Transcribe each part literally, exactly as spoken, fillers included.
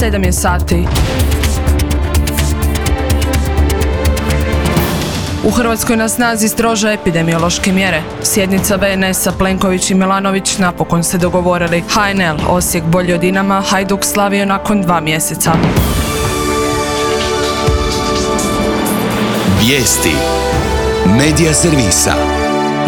sedam je sati. U Hrvatskoj na snazi strože epidemiološke mjere. Sjednica ve en esa Plenković i Milanović napokon se dogovorili. ha en el, Osijek bolji od Dinama, Hajduk slavio nakon dva mjeseca. Vijesti Medija servisa.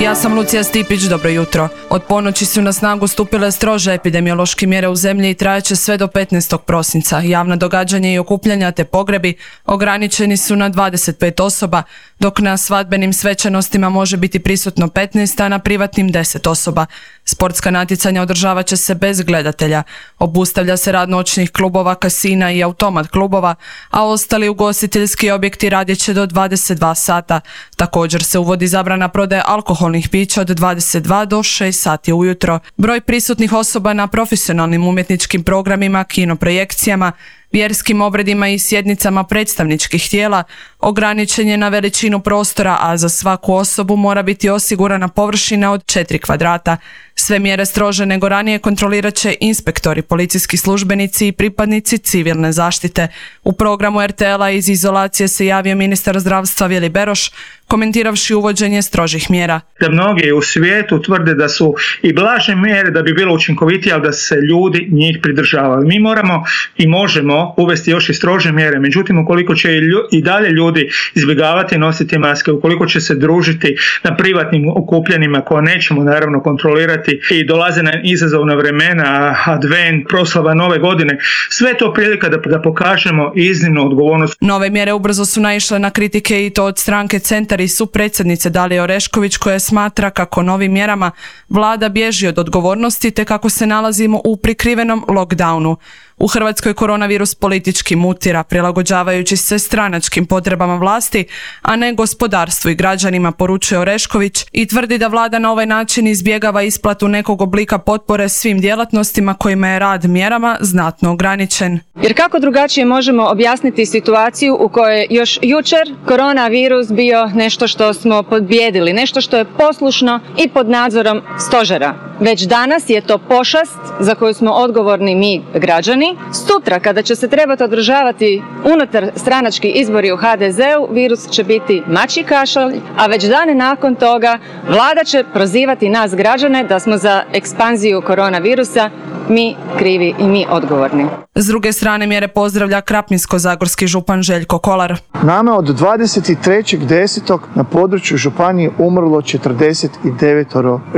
Ja sam Lucija Stipić, dobro jutro. Od ponoći su na snagu stupile strože epidemiološke mjere u zemlji i trajaće sve do petnaestog prosinca. Javna događanja i okupljanja te pogrebi ograničeni su na dvadeset pet osoba, dok na svadbenim svečanostima može biti prisutno petnaest, a na privatnim deset osoba. Sportska natjecanja održavat će se bez gledatelja. Obustavlja se rad noćnih klubova, kasina i automat klubova, a ostali ugostiteljski objekti radit će do dvadeset dva sata. Također se uvodi zabrana prodaje alkoholnih pića od dvadeset dva do šest sati ujutro. Broj prisutnih osoba na profesionalnim umjetničkim programima, kinoprojekcijama, vjerskim obredima i sjednicama predstavničkih tijela ograničen je na veličinu prostora, a za svaku osobu mora biti osigurana površina od četiri kvadrata. Sve mjere strože nego ranije kontrolirat će inspektori, policijski službenici i pripadnici civilne zaštite. U programu er te el-a iz izolacije se javio ministar zdravstva Vili Beroš, komentiravši uvođenje strožih mjera. Da mnogi u svijetu tvrde da su i blaže mjere da bi bilo učinkovitije, ali da se ljudi njih pridržavaju. Mi moramo i možemo uvesti još i strože mjere, međutim ukoliko će i dalje ljudi izbjegavati nositi maske, ukoliko će se družiti na privatnim okupljanjima koje nećemo naravno kontrolirati i dolaze na izazovna vremena, advent, proslava nove godine, sve to prilika da, da pokažemo iznimnu odgovornost. Nove mjere ubrzo su naišle na kritike i to od stranke Centar i supredsjednice Dalije Orešković, koja smatra kako novim mjerama vlada bježi od odgovornosti te kako se nalazimo u prikrivenom lockdownu. U Hrvatskoj koronavirus politički mutira, prilagođavajući se stranačkim potrebama vlasti, a ne gospodarstvu i građanima, poručuje Orešković i tvrdi da vlada na ovaj način izbjegava isplatu nekog oblika potpore svim djelatnostima kojima je rad mjerama znatno ograničen. Jer kako drugačije možemo objasniti situaciju u kojoj je još jučer koronavirus bio nešto što smo pobijedili, nešto što je poslušno i pod nadzorom stožera. Već danas je to pošast za koju smo odgovorni mi građani. Sutra, kada će se trebati održavati unutar stranački izbori u ha de zeu, virus će biti mačji kašalj, a već dane nakon toga vlada će prozivati nas građane da smo za ekspanziju koronavirusa mi krivi i mi odgovorni. S druge strane mjere pozdravlja krapinsko-zagorski župan Željko Kolar. Nama od dvadeset trećeg desetog na području županije umrlo četrdeset devet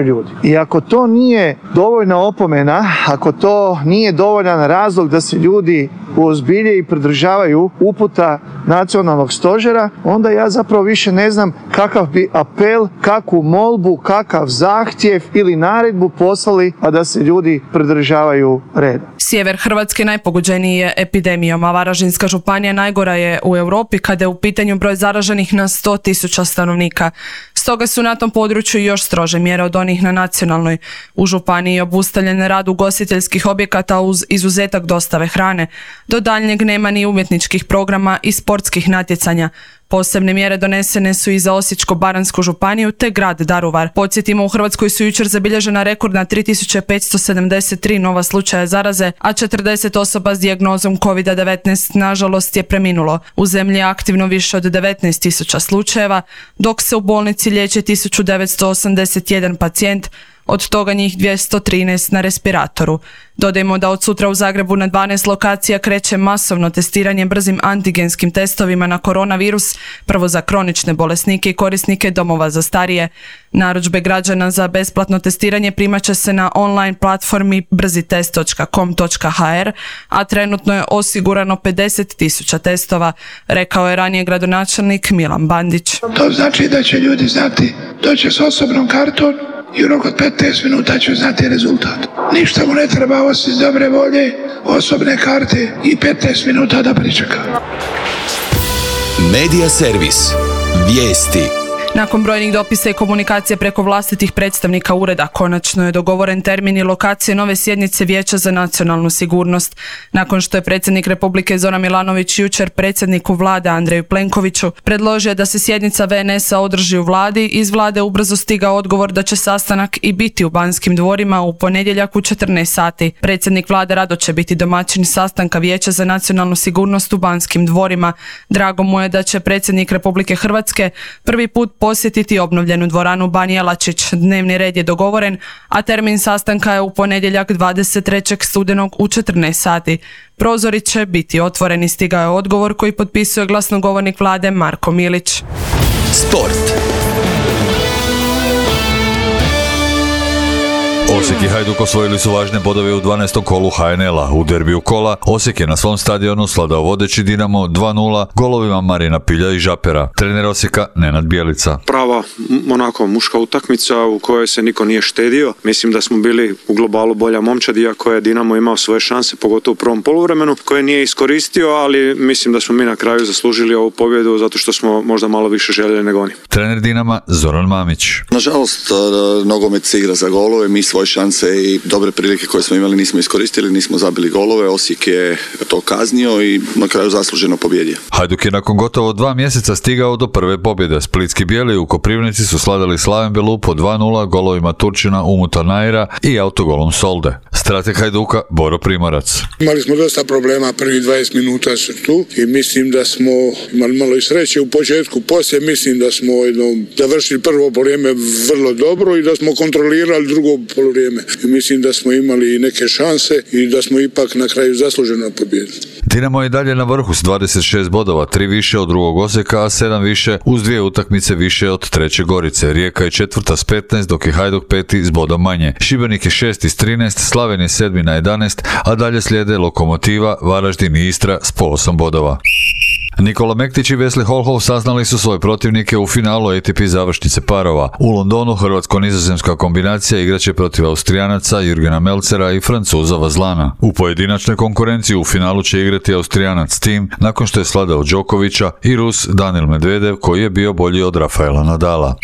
ljudi. I ako to nije dovoljna opomena, ako to nije dovoljan razlog da se ljudi uozbilje i pridržavaju uputa nacionalnog stožera, onda ja zapravo više ne znam kakav bi apel, kakvu molbu, kakav zahtjev ili naredbu poslali, a da se ljudi pridržavaju reda. Sjever Hrvatske najpogođeniji je epidemijom, a Varaždinska županija najgora je u Europi kada je u pitanju broj zaraženih na sto tisuća stanovnika. Stoga su na tom području još strože mjere od onih na nacionalnoj. U županiji je obustavljen rad ugostiteljskih objekata uz izuzetak dostave hrane. Do daljnjeg nema ni umjetničkih programa i sportskih natjecanja. Posebne mjere donesene su i za Osječko-baranjsku županiju te grad Daruvar. Podsjetimo, u Hrvatskoj su jučer zabilježena rekordna tri tisuće petsto sedamdeset tri nova slučaja zaraze, a četrdeset osoba s dijagnozom kovid devetnaest nažalost je preminulo. U zemlji je aktivno više od devetnaest tisuća slučajeva, dok se u bolnici liječi tisuću devetsto osamdeset jedan pacijent, od toga njih dvjesto trinaest na respiratoru. Dodajmo da od sutra u Zagrebu na dvanaest lokacija kreće masovno testiranje brzim antigenskim testovima na koronavirus, prvo za kronične bolesnike i korisnike domova za starije. Narudžbe građana za besplatno testiranje primat će se na online platformi brzitest točka com točka ha er, a trenutno je osigurano pedeset tisuća testova, rekao je ranije gradonačelnik Milan Bandić. To znači da će ljudi znati doći s osobnom kartom i u roku od petnaest minuta će znati rezultat. Ništa mu ne treba osim dobre volje, osobne karte i petnaest minuta da pričeka. Medija servis. Vijesti. Nakon brojnih dopisa i komunikacije preko vlastitih predstavnika ureda, konačno je dogovoren termin i lokacije nove sjednice Vijeća za nacionalnu sigurnost. Nakon što je predsjednik Republike Zoran Milanović jučer predsjedniku vlade Andreju Plenkoviću predložio da se sjednica ve en esa održi u vladi, iz vlade ubrzo stigao odgovor da će sastanak i biti u Banskim dvorima u ponedjeljak u četrnaest sati. Predsjednik vlade rado će biti domaćin sastanka Vijeća za nacionalnu sigurnost u Banskim dvorima. Drago mu je da će predsjednik Republike Hrvatske prvi put posjetiti obnovljenu dvoranu Ban Jelačić. Dnevni red je dogovoren, a termin sastanka je u ponedjeljak dvadeset trećeg studenog u četrnaest sati. Prozori će biti otvoreni, stigao je odgovor koji potpisuje glasnogovornik vlade Marko Milić. Sport. Osijek i Hajduk osvojili su važne bodove u dvanaestom kolu ha en el-a. U derbiju kola Osijek je na svom stadionu sladao vodeći Dinamo dva nula golovima Marina Pilja i Žapera. Trener Osijeka Nenad Bjelica. Prava onako muška utakmica u kojoj se niko nije štedio. Mislim da smo bili u globalu bolja momčad, iako je Dinamo imao svoje šanse, pogotovo u prvom poluvremenu, koje nije iskoristio, ali mislim da smo mi na kraju zaslužili ovu pobjedu zato što smo možda malo više željeli nego oni. Trener Dinama Zoran Mamić. Nažalost, nogomet se igra za golove, mi svoje šanse i dobre prilike koje smo imali nismo iskoristili, nismo zabili golove, Osijek je to kaznio i na kraju zasluženo pobjedio. Hajduk je nakon gotovo dva mjeseca stigao do prve pobjede. Splitski bijeli u Koprivnici su sladali Slaven Belu po dva nula golovima Turčina, Umuta Naira i autogolom Solde. Strateg Hajduka Boro Primorac. Imali smo dosta problema, prvi dvadeset minuta su tu i mislim da smo imali malo i sreće u početku, poslije mislim da smo jedno, završili prvo polovrijeme vrlo dobro i da smo kontrolirali drugo polovrijeme. I mislim da smo imali neke šanse i da smo ipak na kraju zasluženo pobijedili. Dinamo je i dalje na vrhu s dvadeset šest bodova, tri više od drugog Osijeka, a sedam više uz dvije utakmice više od treće Gorice. Rijeka je četvrta s petnaest, dok je Hajduk peti s bodom manje. Šibenik je šesti s trinaest, Slaven je sedmi na jedanaest, a dalje slijede Lokomotiva, Varaždin i Istra s po osam bodova. Nikola Mektić i Wesley Holhoff saznali su svoje protivnike u finalu A T P završnice parova. U Londonu hrvatsko-nizozemska kombinacija igraće protiv Austrijanaca Jurgena Melcera i Francuza Vazlana. U pojedinačnoj konkurenciji u finalu će igrati Austrijanac Tim nakon što je sladao Đokovića i Rus Daniil Medvedev koji je bio bolji od Rafaela Nadala.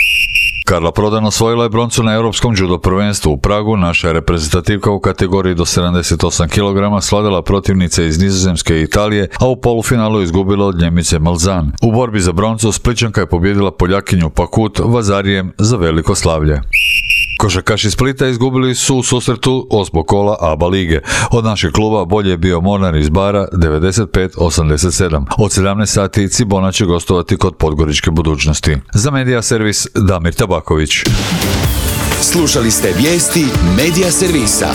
Karla Prodan osvojila je broncu na Europskom judo prvenstvu u Pragu. Naša je reprezentativka u kategoriji do sedamdeset osam kilograma sladala protivnice iz Nizozemske i Italije, a u polufinalu izgubila od Njemice Malzan. U borbi za broncu Splićanka je pobijedila Poljakinju Pakut Vazarijem za veliko slavlje. Košarkaši Splita izgubili su u susretu osmog kola A B A lige. Od našeg kluba bolje je bio Mornar iz Bara devedeset pet osamdeset sedam. Od sedamnaest sati Cibona će gostovati kod Podgoričke Budućnosti. Za Medija servis Damir Tabaković. Slušali ste vijesti Medija servisa.